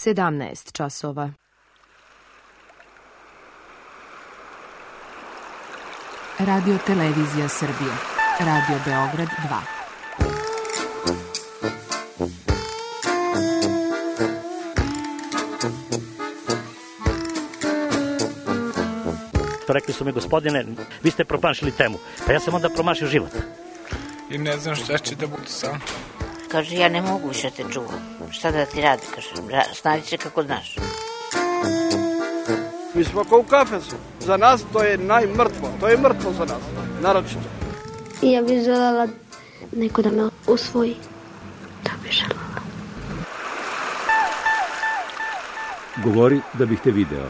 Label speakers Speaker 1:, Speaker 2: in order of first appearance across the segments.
Speaker 1: 17 časova.
Speaker 2: Radio Televizija Srbije. Radio Beograd 2.
Speaker 3: Rekli su mi, gospodine, vi ste promašili temu. Pa ja sam onda promašio život.
Speaker 4: I ne znam šta će da bude sam.
Speaker 5: Kaže, ja ne mogu više te čuvam. Šta da ti radi, kaže, snađi se kako znaš.
Speaker 6: Mi smo kao u kafesu. Za nas to je najmrtvo. To je mrtvo za nas, naročito.
Speaker 7: I ja bih željela neko da me usvoji. To bih željela.
Speaker 8: Govori da bih te video.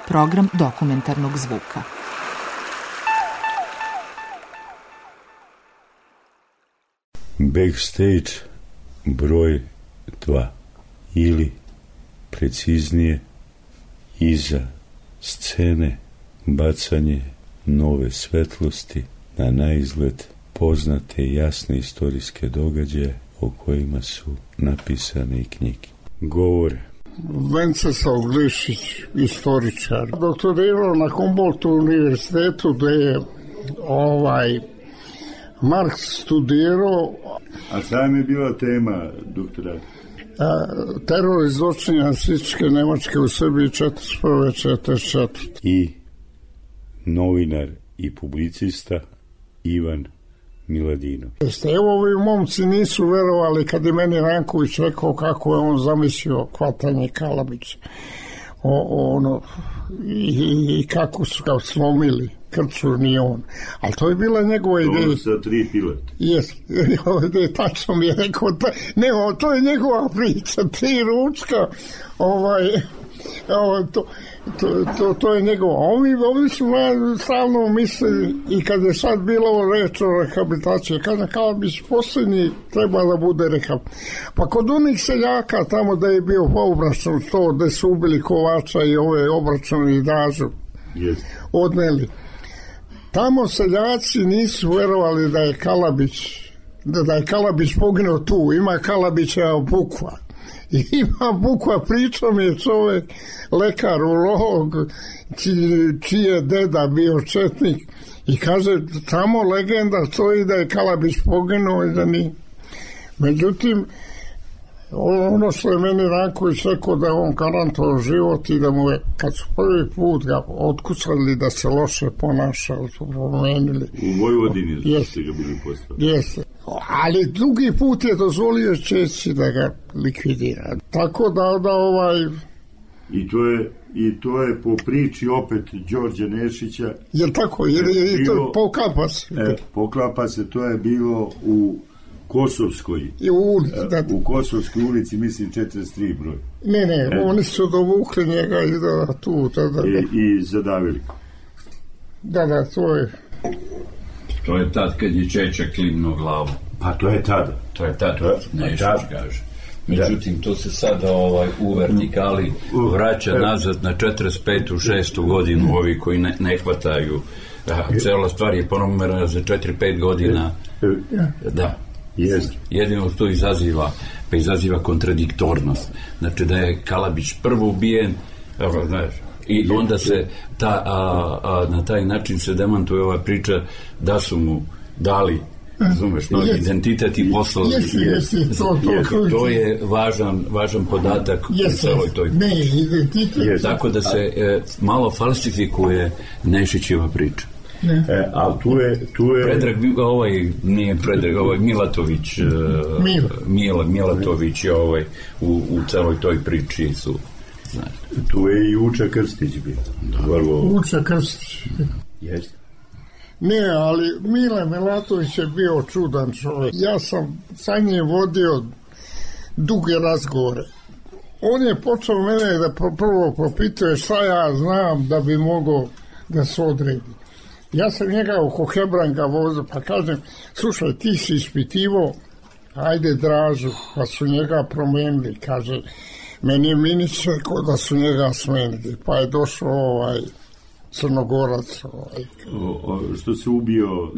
Speaker 2: Program dokumentarnog zvuka.
Speaker 9: Backstage broj 2 ili preciznije iza scene bacanje nove svetlosti na naizgled poznate i jasne istorijske događaje o kojima su napisane i knjige. Govore
Speaker 10: Venceslav Glišić, istoričar, doktorirao na Humboldtu univerzitetu gde je Marks studirao.
Speaker 9: A šta mi je bila tema doktorata?
Speaker 10: Teror i zločini nacističke Nemačke u Srbiji 1941-1944.
Speaker 9: I novinar i publicista Ivan Miladinov.
Speaker 10: Evo ovi momci nisu verovali kad je meni Ranković rekao kako je on zamislio hvatanje Kalabića. I kako su ga slomili. Krču nije on. Ali to je bila njegova ideja.
Speaker 9: To sa 3 pilota.
Speaker 10: Jes, tačno mi je rekao. To je njegova priča. 3 ručka. To je njegova. Ovi su stalno mislili i kad je sad bilo reč o rehabilitaciji, kada Kalabić posljednji treba da bude rehabilitacija. Pa kod onih seljaka tamo da je bio obračun to, da su ubili Kovača i ove obračuni i Dražu odneli. Tamo seljaci nisu verovali da je Kalabić poginuo tu. Ima Kalabića bukva. Ima bukva, pričao mi je čovjek, lekar, urolog, čiji je deda bio četnik i kaže, tamo legenda stoji da je Kalabić poginuo i da nije. Međutim, ono što je meni Ranković rekao da je on garantovao život i da mu je, kad su prvi put ga otkucali da se loše ponaša, su promenili.
Speaker 9: U Vojvodini ste ga bili postavili.
Speaker 10: Jeste. Ali drugi put je dozvolio Česi da ga likvidira. Tako da
Speaker 9: I to je po priči opet Đorđa Nešića.
Speaker 10: Jer tako,
Speaker 9: poklapa se, to je bilo u Kosovskoj. U Kosovskoj ulici, mislim 43 broj.
Speaker 10: Ne, oni su dovukli njega i tu.
Speaker 9: I zadavili.
Speaker 10: Da, to je.
Speaker 11: To je tad kad je Čeča klimnuo glavu.
Speaker 9: Pa to je tada.
Speaker 11: Nešić kaže. Međutim, to se sada u vertikali vraća nazad na 45. 6. godinu, ovi koji ne hvataju. Cela stvar je ponovno za 4-5 godina. Da. Jedino to izaziva kontradiktornost. Znači da je Kalabić prvo ubijen, i onda se na taj način se demantuje ova priča da su mu dali, razumeš, novi identitet i poslali. To je važan podatak u celoj toj priči. Tako da se malo falsifikuje Nešićeva priča.
Speaker 9: A tu je
Speaker 11: Predrag, Milatović, Milatović je u celoj toj priči su.
Speaker 9: Tu je i Uča Krstić bio.
Speaker 10: Uča Krstić.
Speaker 9: Jeste.
Speaker 10: Ne, ali Mile Milatović je bio čudan čovjek. Ja sam sa njim vodio duge razgovore. On je počeo mene da prvo propituje šta ja znam da bi mogao da se odredi. Ja sam njega oko Hebranga vozio, pa kažem, slušaj, ti si ispitivo, ajde Dražu, pa su njega promenili, kaže, meni je Minić rekao da su njega smenili, pa je došao Crnogorac.
Speaker 9: Što se ubio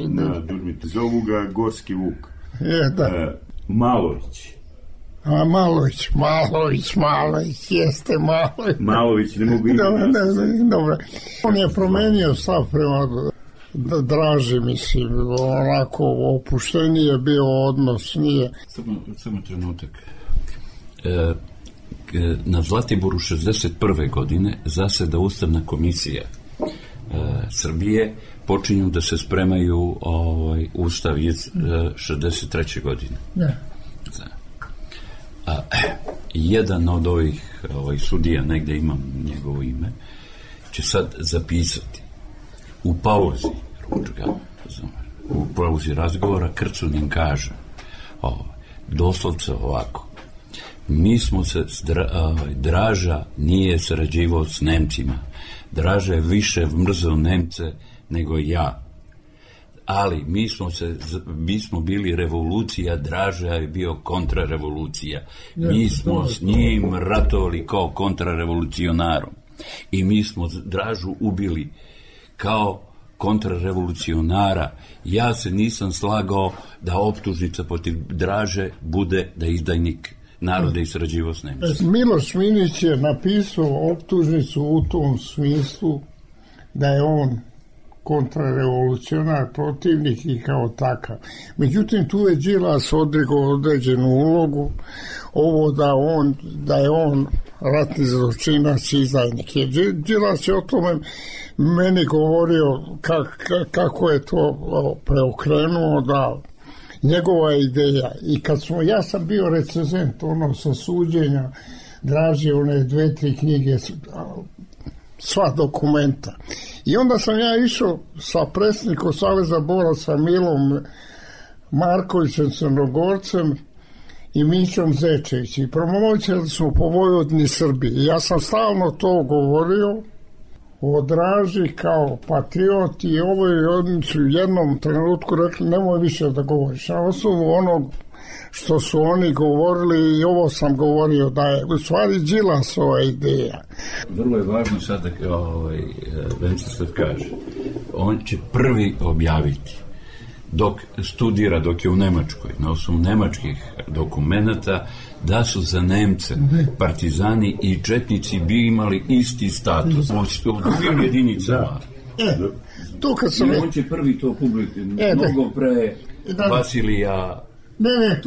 Speaker 10: na
Speaker 9: Durmiti. Zovu ga Gorski Vuk.
Speaker 10: Da.
Speaker 9: Malović.
Speaker 10: A Malović, jeste Malović.
Speaker 9: Malović, ne mogu
Speaker 10: Dobro. On je promenio stav prema Draži, mislim, onako opušteniji je bio odnos, nije.
Speaker 11: Samo trenutak. Na Zlatiboru 61. godine zaseda Ustavna komisija Srbije, počinju da se spremaju Ustav iz 63. godine.
Speaker 10: Ne.
Speaker 11: Jedan od ovih sudija, negde imam njegovo ime, će sad zapisati u pauzi ručka, u pauzi razgovora, Krcunin kaže doslovce ovako: mi smo se Draža nije sarađivao s Nemcima, Draža je više mrzeo Nemce nego ja, ali mi smo bili revolucija, Draža je bio kontrarevolucija, mi smo s njim ratovali kao kontrarevolucionarom i mi smo Dražu ubili kao kontrarevolucionara. Ja se nisam slagao da optužnica protiv Draže bude da je izdajnik naroda i sarađivao s Nemcima.
Speaker 10: Miloš Minić je napisao optužnicu u tom smislu da je on kontrarevolucionar, protivnik i kao takav. Međutim, tu je Đilas odigrao određenu ulogu, ovo da je on ratni zločinac i izdajnik. Đilas je o tome meni govorio kako je to preokrenuo, da njegova ideja. I ja sam bio recenzent sa suđenja Draži, one 2-3 knjige, sva dokumenta. I onda sam ja išao sa predsjednikom Saveza boraca Milom Markovićem Crnogorcem i Mićom Zečević i promovirali smo po Vojvodini Srbiji. I ja sam stalno to govorio o Draži kao patriot i ovo je oni su u jednom trenutku rekli nemoj više da govoriš. Na osnovu onog što su oni govorili i ovo sam govorio da je u stvari Đilasova ideja.
Speaker 11: Vrlo je važno sad da Venceslav kaže, on će prvi objaviti dok studira, dok je u Nemačkoj, na osnovu nemačkih dokumenata, da su za Nemce partizani i četnici bi imali isti status u drugim jedinicama.
Speaker 10: To kad sam...
Speaker 11: On će prvi to publikati, mnogo pre Vasilija.
Speaker 10: Ne,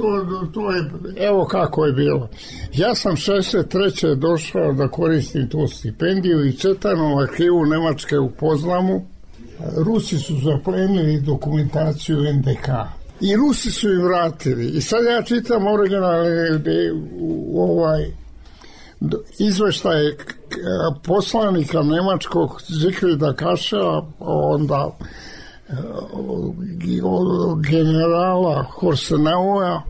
Speaker 10: to je, evo kako je bilo. Ja sam 63. došao da koristim tu stipendiju i četam arhivu Nemačke u Poznamu. Rusi su zaplenili dokumentaciju NDK i Rusi su im vratili. I sad ja čitam originalni izveštaj poslanika nemačkog Zigfrida Kašela, onda generala Horsenaua,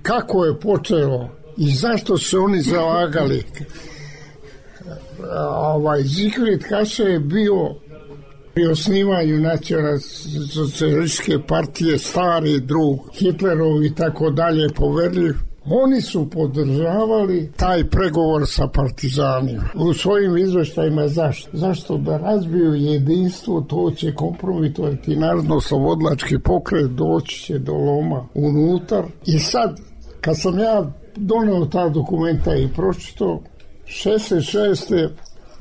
Speaker 10: kako je počelo i zašto se oni zalagali. Zigfrid Kašel je bio pri osnivanju nacionalsocijalističke partije stari drug Hitlerov i tako dalje poverljiv. Oni su podržavali taj pregovor sa partizanima. U svojim izveštajima zašto da razbiju jedinstvo, to će kompromitovati narodno-slobodlački pokret, doći će do loma unutar. I sad, kad sam ja doneo ta dokumenta i pročito, 66.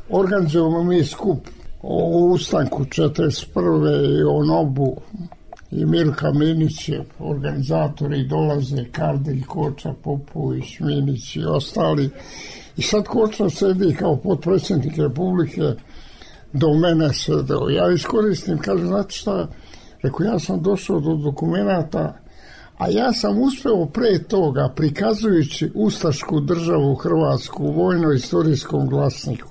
Speaker 10: organizujemo mi skup o ustanku 41. i o Nobu i Milka Minić je organizatori, dolaze Kardelj, Koča, Popović, Minić i ostali. I sad Koča sedi kao potpredsjednik Republike, do mene sedeo. Ja iskoristim, kaže, znate šta, rekao, ja sam došao do dokumenata, a ja sam uspeo pre toga, prikazujući ustašku državu Hrvatsku u vojno-istorijskom glasniku,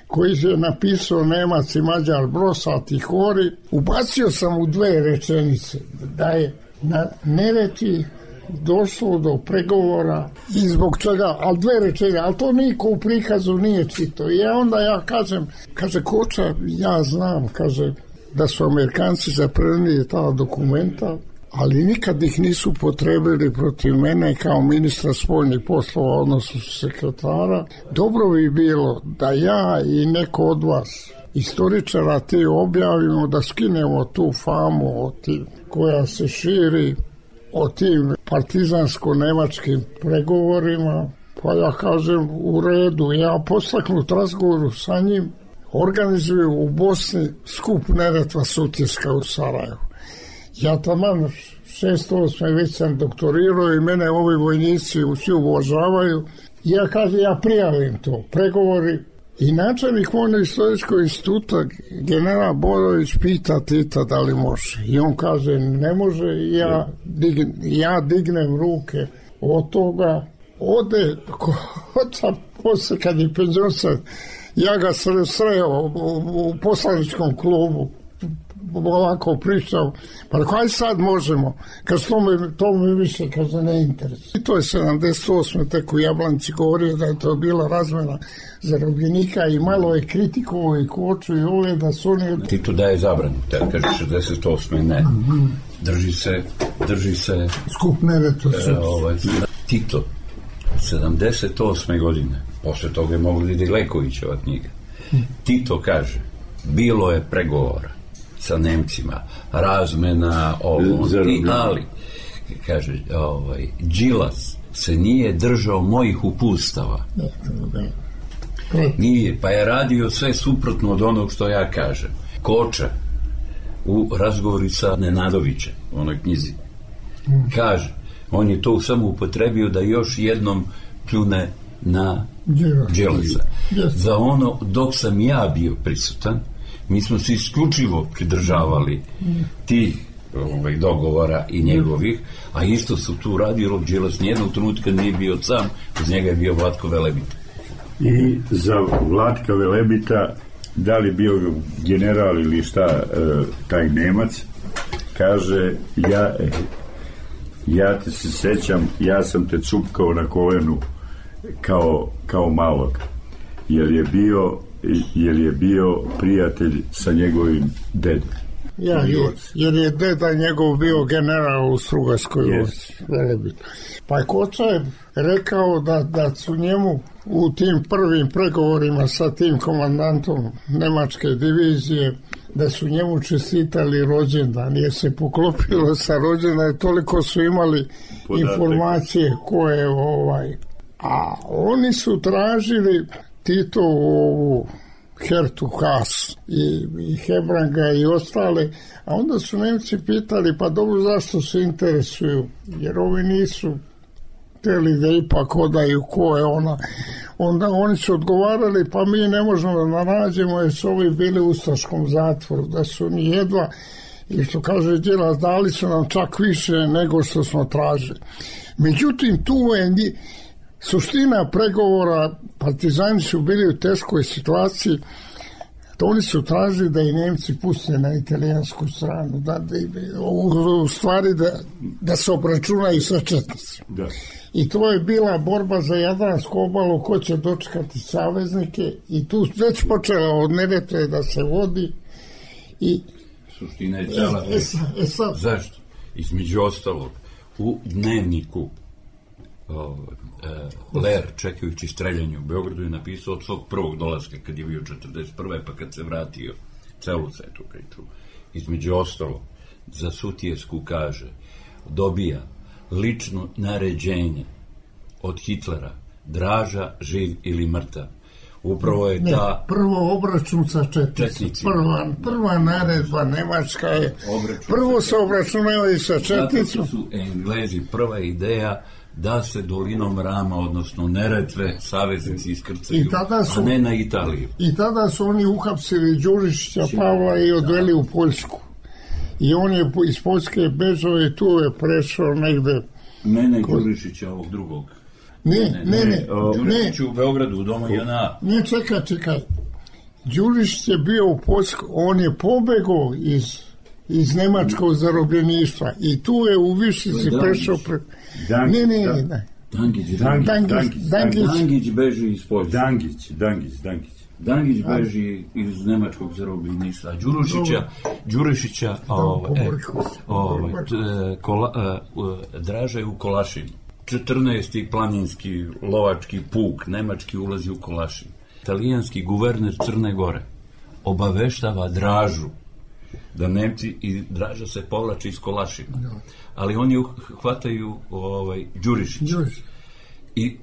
Speaker 10: koji je napisao Nemac i Mađar Brosat i Hori, ubacio sam u 2 rečenice da je na Neretvi došlo do pregovora i zbog čega, ali 2 rečenice, ali to niko u prikazu nije čitao. I onda ja kažem, kaže Koča, ja znam, kaže, da su Amerikanci zaplenili ta dokumenta, ali nikad ih nisu potrebili protiv mene kao ministra spoljnih poslova, odnosno sekretara. Dobro bi bilo da ja i neko od vas, istoričara, te objavimo, da skinemo tu famu koja se širi o tim partizansko-nemačkim pregovorima, pa ja kažem u redu, ja postaknut razgovoru sa njim, organizuju u Bosni skup Neretva Sutjeska u Sarajevu. Ja taman 608. već sam doktorirao i mene ovi vojnici svi uvažavaju. Ja kažem, ja prijavim to, pregovori. I načelnik Vojno-istorijskog instituta, general Borović, pita Tita da li može. I on kaže, ne može, ja dignem ruke od toga. Ode, posle kad je penzionsan, ja ga sreo u poslaničkom klubu, ovako pričao, pa kaj sad možemo, kad to me više kaže ne interesuje. I to je 78. tek u Jablanci govorio da je to bila razmena zarobljenika i malo je kritikovao i Koču i ove da su oni...
Speaker 11: Tito daje zabranu, te kaže 68. ne. Drži se...
Speaker 10: Skup Neretva.
Speaker 11: Tito, 78. godine, posle toga je mogla ide Lekovićeva knjiga. Tito bilo je pregovora sa Nemcima, razmena ali kaže, Đilas se nije držao mojih upustava. Nije, pa je radio sve suprotno od onog što ja kažem. Koča u razgovori sa Nenadovićem u onoj knjizi kaže, on je to samo upotrebio da još jednom pljune na Đilasa. Za ono, dok sam ja bio prisutan, mi smo se isključivo pridržavali tih dogovora i njegovih, a isto su tu radio Đilas, nijednog trenutka nije bio sam, uz njega je bio Vlatko Velebita.
Speaker 9: I za Vlatka Velebita, da li bio general ili šta, taj Nemac, kaže, ja te se sećam, ja sam te cupkao na kolenu kao malog, jer je bio prijatelj sa njegovim dedom.
Speaker 10: Jer je deda njegov bio general u Strugarskoj vojsci. Pa Koča je rekao da su njemu u tim prvim pregovorima sa tim komandantom nemačke divizije, da su njemu čestitali rođendan, jer se poklopilo sa rođendan, toliko su imali informacije koje a oni su tražili Titovu Hertu Haas i Hebranga i ostale, a onda su Nemci pitali, pa dobro, zašto se interesuju, jer ovi nisu htjeli da ipak odaju ko je ona. Onda oni su odgovarali, pa mi ne možemo da nađemo, jer su ovi bili u ustaškom zatvoru, da su ni jedva, i što kaže Đilas, dali su nam čak više nego što smo tražili. Međutim, tu je suština pregovora, partizani su bili u teškoj situaciji, to oni su tražili da i Nemci puste na italijansku stranu, u stvari da se obračunaju sa četnicima. I to je bila borba za Jadransku obalu, ko će dočekati saveznike, i tu već počela od Neretve da se vodi. I
Speaker 11: suština je cela. Zašto? Između ostalog, u dnevniku Ler, čekajući streljanje u Beogradu, je napisao od svog prvog dolaska kad je bio 41. pa kad se vratio, celu tu priču. Između ostalo, za Sutjesku kaže, dobija lično naređenje od Hitlera, Draža, živ ili mrtav. Upravo je ta...
Speaker 10: Prvo obračun sa četnicima. Prva naredba Nemačka je... Prvo se obračunavaju sa četnicima.
Speaker 11: Zato su Englezi prva ideja da se dolinom Rama, odnosno Neretve, saveznici iskrcaju, a ne na Italiju.
Speaker 10: I tada su oni uhapsili Đurišića Pavla i odveli u Poljsku. I on je iz Poljske bežao i tu je prešao negde...
Speaker 11: Mene Đurišića, ovog drugog.
Speaker 10: Ne.
Speaker 11: Đurišić u Beogradu, u domu JNA.
Speaker 10: Ne, čekaj. Đurišić je bio u Poljsku, on je pobegao iz nemačkog zarobljeništva i tu je u Višici prešao... Ne.
Speaker 11: Dangić beži iz Poljske. Dangić
Speaker 10: Dangić
Speaker 11: beži iz nemačkog zarobljeništva. Đurišića Draža je u Kolašinu. 14. planinski lovački puk nemački ulazi u Kolašin. Italijanski guverner Crne Gore obaveštava Dražu da Nemci i Draža se povlači iz Kolašina. Ali oni hvataju Đurišić i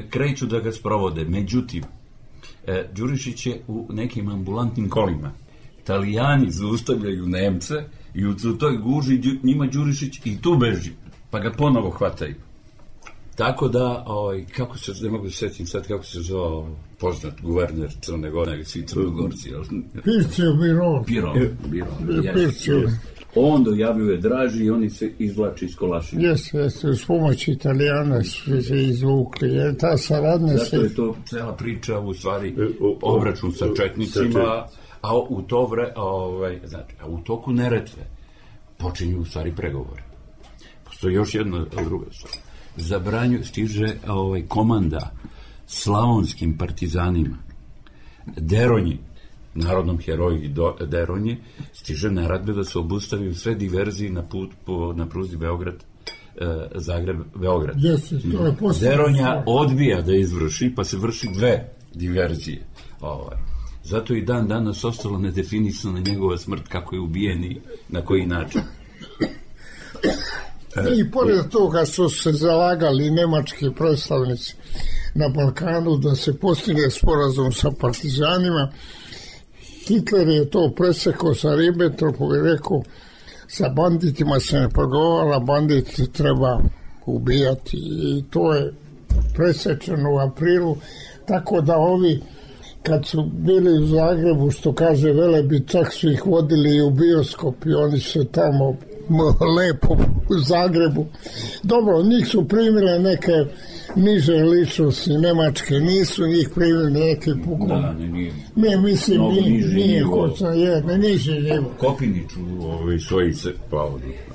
Speaker 11: kreću da ga sprovode. Međutim, Đurišić je u nekim ambulantnim kolima. Italijani zaustavljaju Nemce i u toj guži njima Đurišić i tu beži, pa ga ponovo hvataju. Tako da, kako se, ne mogu se sjetiti sad kako se zove poznat guverner Crne Gore, svi Crnogorci.
Speaker 10: Pircio Biron.
Speaker 11: Pircio. On dojavljuje Draži i oni se izvlači iz Kolašina.
Speaker 10: Jeste, s pomoći Italijana su se izvukli, jer ta saradnja se...
Speaker 11: Zato je to cela priča, u stvari, obračun sa četnicima, a u to u toku Neretve počinju u stvari pregovore. Postoji još jedna druga stvar. Stiže komanda slavonskim partizanima Deronji, narodnom heroji Deronji, stiže naredbe da se obustaviju sve diverzije na pruzi Zagreb-Beograd. Deronja odbija da izvrši, pa se vrši 2 diverzije. Zato i dan danas ostalo nedefinisana njegova smrt, kako je ubijen i na koji način.
Speaker 10: I pored toga su se zalagali nemački predstavnici na Balkanu da se postigne sporazum sa partizanima, Hitler je to presekao sa Ribbentropom i rekao sa banditima se ne pregovala, bandit treba ubijati i to je presečeno u aprilu, tako da ovi kad su bili u Zagrebu, što kaže Velebit, čak su ih vodili u bioskop i oni su tamo lepo u Zagrebu. Dobro, njih su primile neke niže ličnosti nemačke, nisu njih primili neke pukom.
Speaker 11: Da, nije.
Speaker 10: Ne, mislim, nije hoćno, ne niže nivo.
Speaker 11: Kopinić u svojice,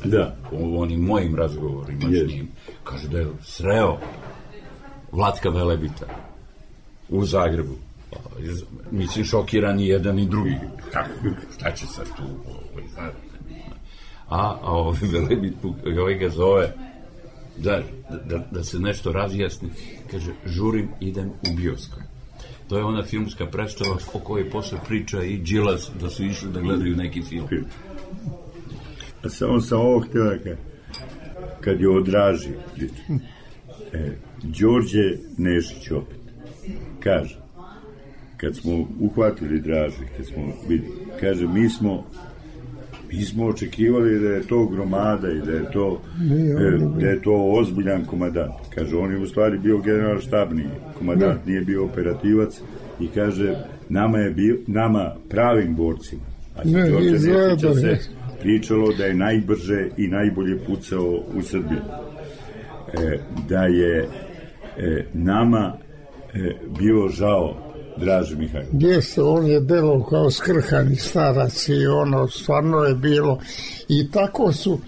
Speaker 11: da, u onim mojim razgovorima s njim, kaže da je sreo Vlatka Velebita u Zagrebu. Mislim, šokiran i jedan i drugi. Šta će sad tu? A Velebit ga zove da se nešto razjasni. Kaže, žurim, idem u bioskop. To je ona filmska predstava o kojoj posle priča i Đilas da su išli da gledaju neki film.
Speaker 9: A samo sam ovo htjela kad je o Draži priča. Đorđe Nešić opet kaže, kad smo uhvatili Draži, kad smo vidjeli, kaže, mi smo očekivali da je to gromada i da je to ozbiljan komandant. Kaže, on je u stvari bio general štabni komandant, nije bio operativac i kaže, nama pravim borcima, a se Đorđe Nešića se pričalo da je najbrže i najbolje pucao u Srbiji. Da je nama bilo žao Draže Mihajlović.
Speaker 10: Jeste, on je delo kao skrhani starac i ono stvarno je bilo i tako su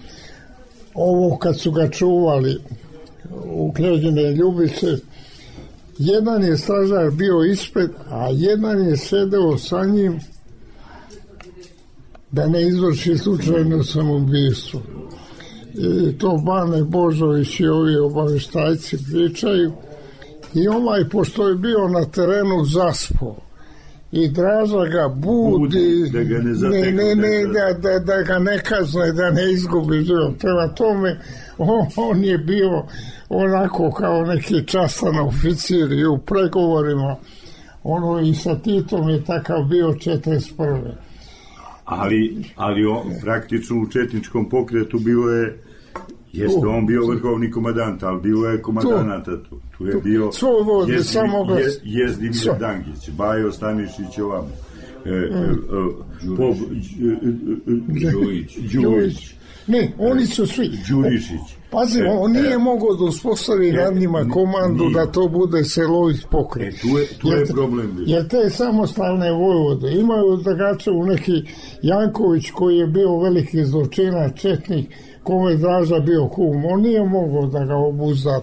Speaker 10: ovo kad su ga čuvali u Knežine Ljubice, jedan je stražar bio ispred, a jedan je sedeo sa njim da ne izvrši slučajno samoubistvo. I to Bane Božović i ovi obaveštajci pričaju. I pošto je bio na terenu zaspao i Draža ga budi
Speaker 9: da ga ne
Speaker 10: zatekne, da ga ne kazne, da ne izgubi život. Prema tome on je bio onako kao neki častan oficir i u pregovorima i sa Titom je takav bio 41.
Speaker 9: Ali on praktično u četničkom pokretu bilo je jeste on bio vrhovni komandant, ali bilo je komandanata tu. Tu je bio Jezdimir Dangić, Bajo Stanišić ovamo, Đujić.
Speaker 10: Ne, oni su svi.
Speaker 9: Đurišić.
Speaker 10: Pazi, on nije mogao da uspostavi nad njima komandu da to bude celovit pokret.
Speaker 9: Tu je problem.
Speaker 10: Jer te samostalne vojvode imaju Dragačevu neki Janković koji je bio veliki zločinac, četnik, kome je Draža bio kum, on nije mogao da ga obuzda.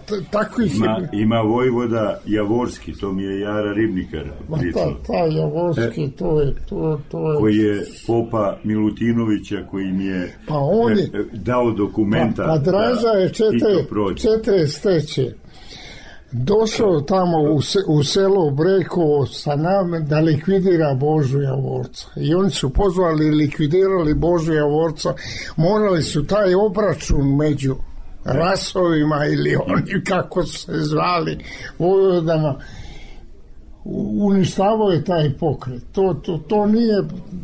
Speaker 9: Ima vojvoda Javorski, to mi je Jara Ribnikar pričao.
Speaker 10: Ta Javorski, to je...
Speaker 9: Koji je popa Milutinovića, koji mi je dao dokumenta.
Speaker 10: Pa Draža je 43. došao tamo u selo Brekovo sa nama da likvidira Božu Javorca. I oni su pozvali i likvidirali Božu Javorca. Morali su taj obračun među rasovima ili oni kako su se zvali vojvodama, uništavao je taj pokret. To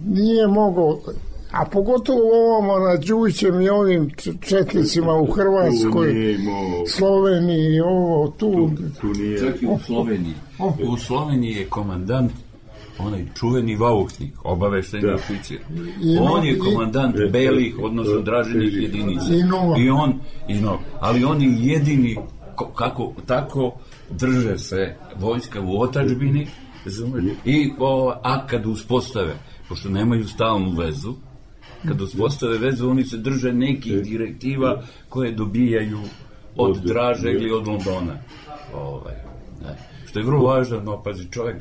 Speaker 10: nije moglo, a pogotovo ovamo na Đujićem i ovim četnicima u Hrvatskoj, Sloveniji, ovo tu
Speaker 11: nije. Čak i u Sloveniji. U Sloveniji je komandant onaj čuveni Vauhnik, obaveštajni oficir. On je komandant belih, odnosno Dražinih jedinica. Ali oni jedini kako tako drže se vojska u otadžbini a kad uspostave, pošto nemaju stalnu vezu, kad uspostave vezu, oni se drže nekih direktiva koje dobijaju od Draže ili od Londona. Što je vrlo važno, pazi, čovjek,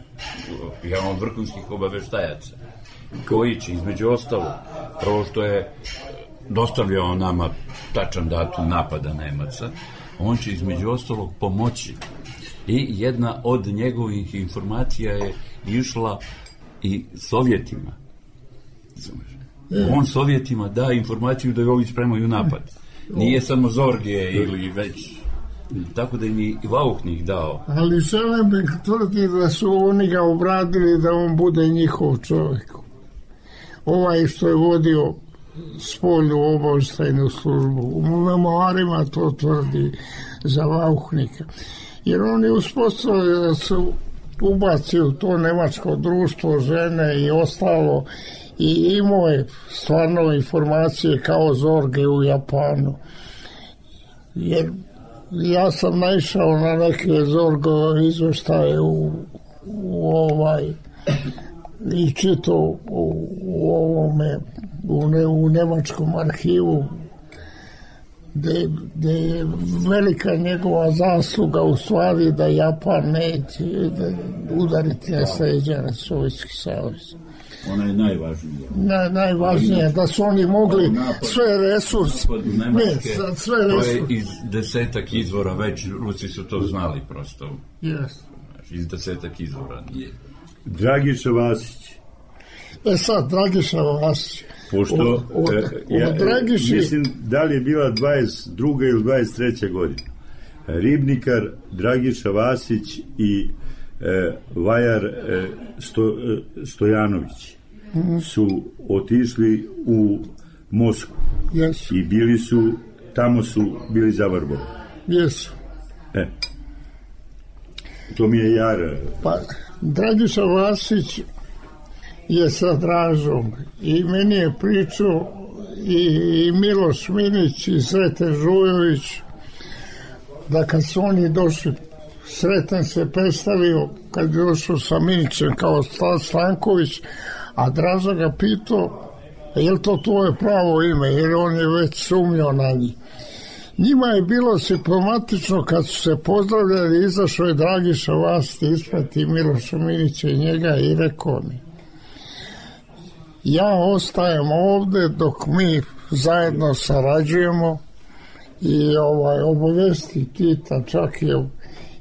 Speaker 11: jedan od vrhunskih obaveštajaca, koji će, između ostalo, prvo što je dostavljao nama tačan datum napada Nemaca, on će, između ostalog, pomoći. I jedna od njegovih informacija je išla i Sovjetima. On Sovjetima da informaciju da je ovi spremaju napad. Nije samo Zorge ili već... Tako da im je i Vauhnik dao.
Speaker 10: Ali Šelemek tvrdi da su oni ga obradili da on bude njihov čovjek. Ovaj što je vodio spoljnu obavještajnu službu. U memoarima to tvrdi za Vauhnika. Jer on je uspostavio da se ubaci u to nemačko društvo, žene i ostalo, i imao je stvarno informacije kao Zorge u Japanu. Jer ja sam naišao na neke Zorgove izveštaje i čitao u nemačkom arhivu gde je velika njegova zasluga u stvari da Japan neće udariti na sređene Sovjetski savez.
Speaker 11: Ona je najvažnija.
Speaker 10: Najvažnija, da su oni mogli sve resurse.
Speaker 11: To je iz 10 izvora, već Rusi su to znali prosto. Iz 10 izvora nije.
Speaker 9: Dragiša Vasić.
Speaker 10: Sad, Dragiša Vasić.
Speaker 9: Pošto, mislim, da li je bila 22. ili 23. godina. Ribnikar, Dragiša Vasić i Vajar Stojanović su otišli u Moskvu i tamo su bili zavrbovani.
Speaker 10: Jesu.
Speaker 9: To mi je Jar.
Speaker 10: Pa, Dragiša Vasić je sa Dražom i meni je pričao i Miloš Minić i Sreten Žujović da kad su oni došli, Sreten se predstavio kad je došao sa Minićem kao Stanković, a Draža ga pitao je li to tvoje pravo ime, jer on je već sumnjao na njih. Njima je bilo simptomatično kad su se pozdravljali, izašao je Dragiša Vasić isprati Miloša Minića i njega i rekao mi: ja ostajem ovde dok mi zajedno sarađujemo i obavesti Tita, čak je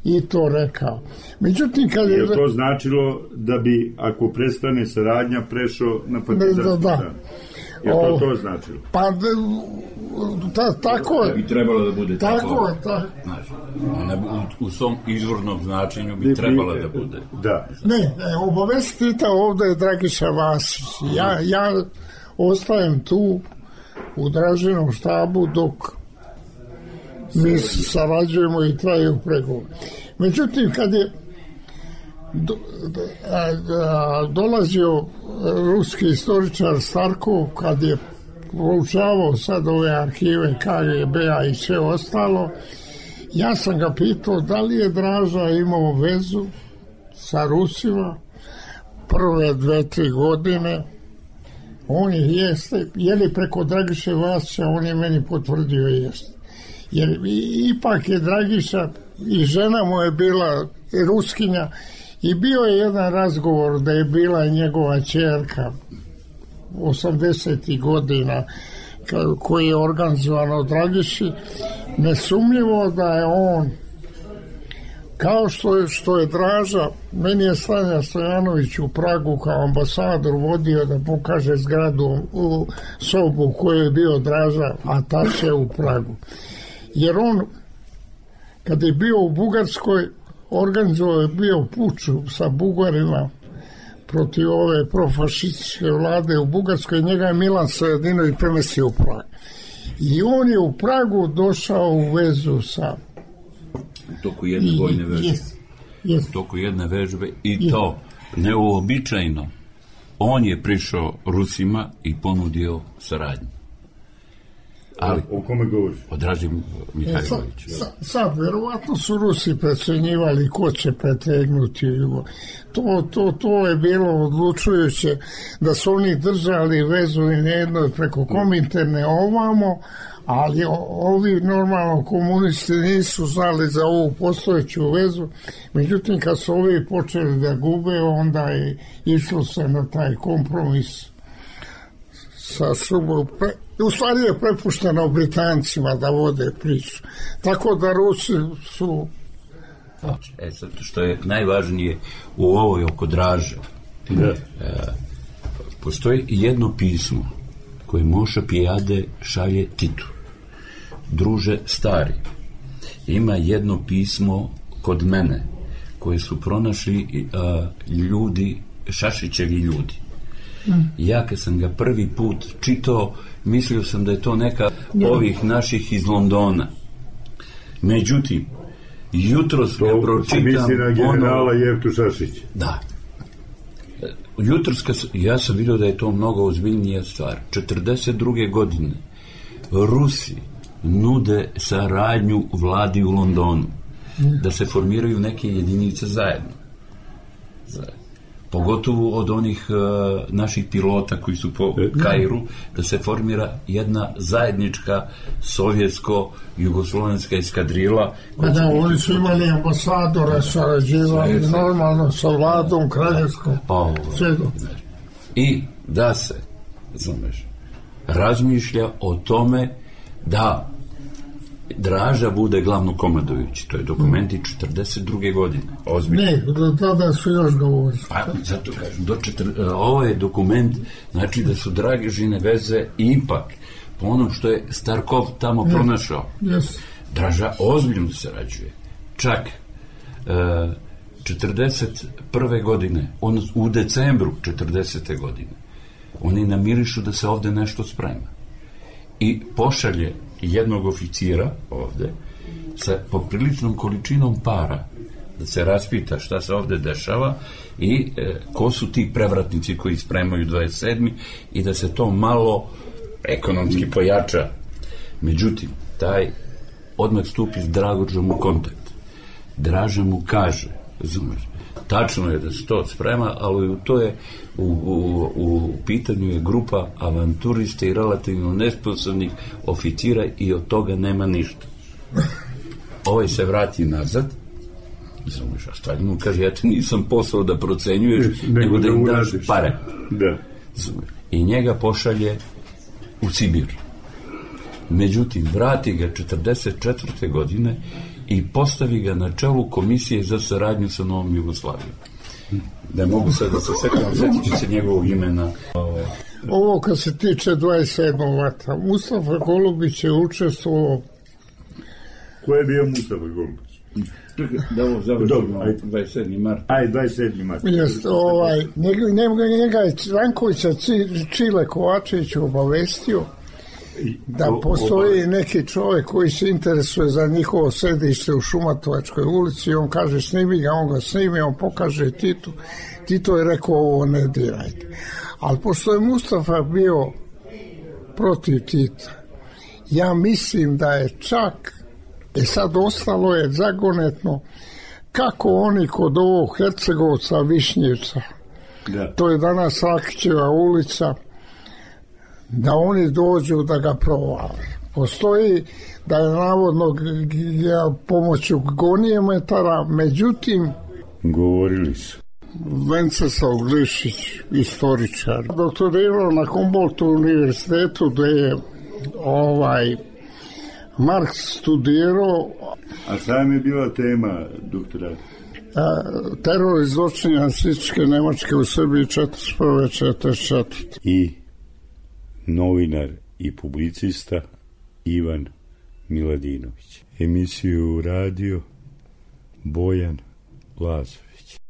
Speaker 10: i to rekao. Međutim, kad je
Speaker 9: to značilo da bi, ako prestane saradnja, prešao na partizanski stran? Je to značilo?
Speaker 10: Pa, tako je.
Speaker 11: Da bi trebalo da bude
Speaker 10: tako.
Speaker 11: U svom izvornom značenju bi trebalo da bude.
Speaker 9: Da.
Speaker 10: Ne, obavesti Tita ovde je Dragiša Vasić. Ja ostajem tu u Dražinom štabu dok mi sarađujemo i traju pregovor. Međutim, kad je dolazio ruski istoričar Starkov, kad je proučavao sad ove arhive KGB-a i sve ostalo, ja sam ga pitao da li je Draža imao vezu sa Rusima prve 2-3 godine. On jeste, je li preko Dragiše Vasića, on je meni potvrdio jeste. Jer ipak je Dragiša i žena mu je bila Ruskinja i bio je jedan razgovor da je bila njegova ćerka 80. godina koji je organizovan od Dragiši. Nesumnjivo da je on Kao što je Draža, meni je Stanja Stojanović u Pragu kao ambasador vodio da pokaže zgradu u sobu u kojoj je bio Draža ataše u Pragu. Jer on, kad je bio u Bugarskoj, organizovao je bio puč sa Bugarima protiv ove profašističke vlade u Bugarskoj, njega je Milan Stojadinović premestio u Prag. I on je u Pragu došao u vezu sa
Speaker 11: u toku jedne vojne vežbe. U toku jedne vežbe i to neuobičajeno. On je prišao Rusima i ponudio saradnju. Ali,
Speaker 9: o kome govoriš?
Speaker 11: O Draži Mihajloviću.
Speaker 10: Sad, verovatno su Rusi precenjivali ko će pretegnuti. To je bilo odlučujuće da su oni držali vezu i nejedno preko Kominterne ovamo, ali ovi normalno komunisti nisu znali za ovu postojeću vezu. Međutim, kad su ovi počeli da gube, onda je išlo se na taj kompromis sa Srbom. U stvari je prepušteno Britancima da vode priču. Tako da Rusi su...
Speaker 11: Zato što je najvažnije u ovoj oko Draže. Postoji jedno pismo koje Moša Pijade šalje Titu. Druže stari, ima jedno pismo kod mene koje su pronašli ljudi, Šašićevi ljudi. Ja kad sam ga prvi put čitao, mislio sam da je to neka ovih naših iz Londona. Međutim, jutros ga pročitam...
Speaker 9: Misli na generala Jevtu Šašić.
Speaker 11: Da. Jutros, ja sam vidio da je to mnogo ozbiljnija stvar. 42. godine Rusi nude saradnju vladi u Londonu, da se formiraju neke jedinice zajedno. Pogotovo od onih naših pilota koji su po Kairu, da se formira jedna zajednička sovjetsko-jugoslovenska eskadrila.
Speaker 10: Da, oni su imali ambasadora, sarađivali normalno sa vladom kraljevskom.
Speaker 11: I da se, znameš, razmišlja o tome da Draža bude glavnokomandujući. To je dokumenti 42. godine. Ozbiljno.
Speaker 10: Ne, do tada su još govorili.
Speaker 11: Pa, zato kažem, ovo je dokument, znači da su Dražine veze ipak, po onom što je Starkov tamo pronašao. Draža ozbiljno sarađuje. Čak 41. godine, u decembru 40. godine, oni namirišu da se ovde nešto sprema. I pošalje jednog oficira ovde sa popriličnom količinom para da se raspita šta se ovde dešava i ko su ti prevratnici koji spremaju 27. i da se to malo ekonomski pojača. Međutim, taj odmah stupi s Dragođom u kontakt. Draža mu kaže, razumeš, tačno je da se to sprema, ali to je u pitanju je grupa avanturista i relativno nesposobnih oficira i od toga nema ništa. Ovaj se vrati nazad, razumiješ, a Stalin mu kaže, ja te nisam poslao da procenjuješ, nego da im daš pare. I njega pošalje u Sibir. Međutim, vrati ga 44. godine i postavi ga na čelu komisije za saradnju sa Novom Jugoslavijom. Da mogu sad da se setit ću se njegovog imena.
Speaker 10: Ovo kad se tiče 27. marta, Mustafa Golubić je učestvovao.
Speaker 9: Ko je bio Mustafa Golubić?
Speaker 11: Da ovo završimo 27. mart.
Speaker 9: Aj, 27. mart.
Speaker 10: Njega je Rankovića Čile Kovačević obavestio da postoji neki čovjek koji se interesuje za njihovo sedište u Šumatovačkoj ulici i on kaže snimi ga, on ga snimi, on pokaže Titu. Tito je rekao ovo ne dirajte. Ali pošto je Mustafa bio protiv Tita, ja mislim da je čak sad ostalo je zagonetno kako oni kod ovog Hercegovca Višnjevca, to je danas Rakićeva ulica, da oni dođu da ga provale. Postoji da je navodno pomoću gonijemetara, međutim
Speaker 9: govorili su
Speaker 10: Venceslav Glišić, istoričar, doktorirao na Humboldtu univerzitetu gde je Marks studirao.
Speaker 9: A šta je bila tema, doktora?
Speaker 10: Teror i zločini nacističke Nemačke u Srbiji 1941-1944.
Speaker 9: I novinar i publicista Ivan Miladinović. Emisiju radio Bojan Lazo.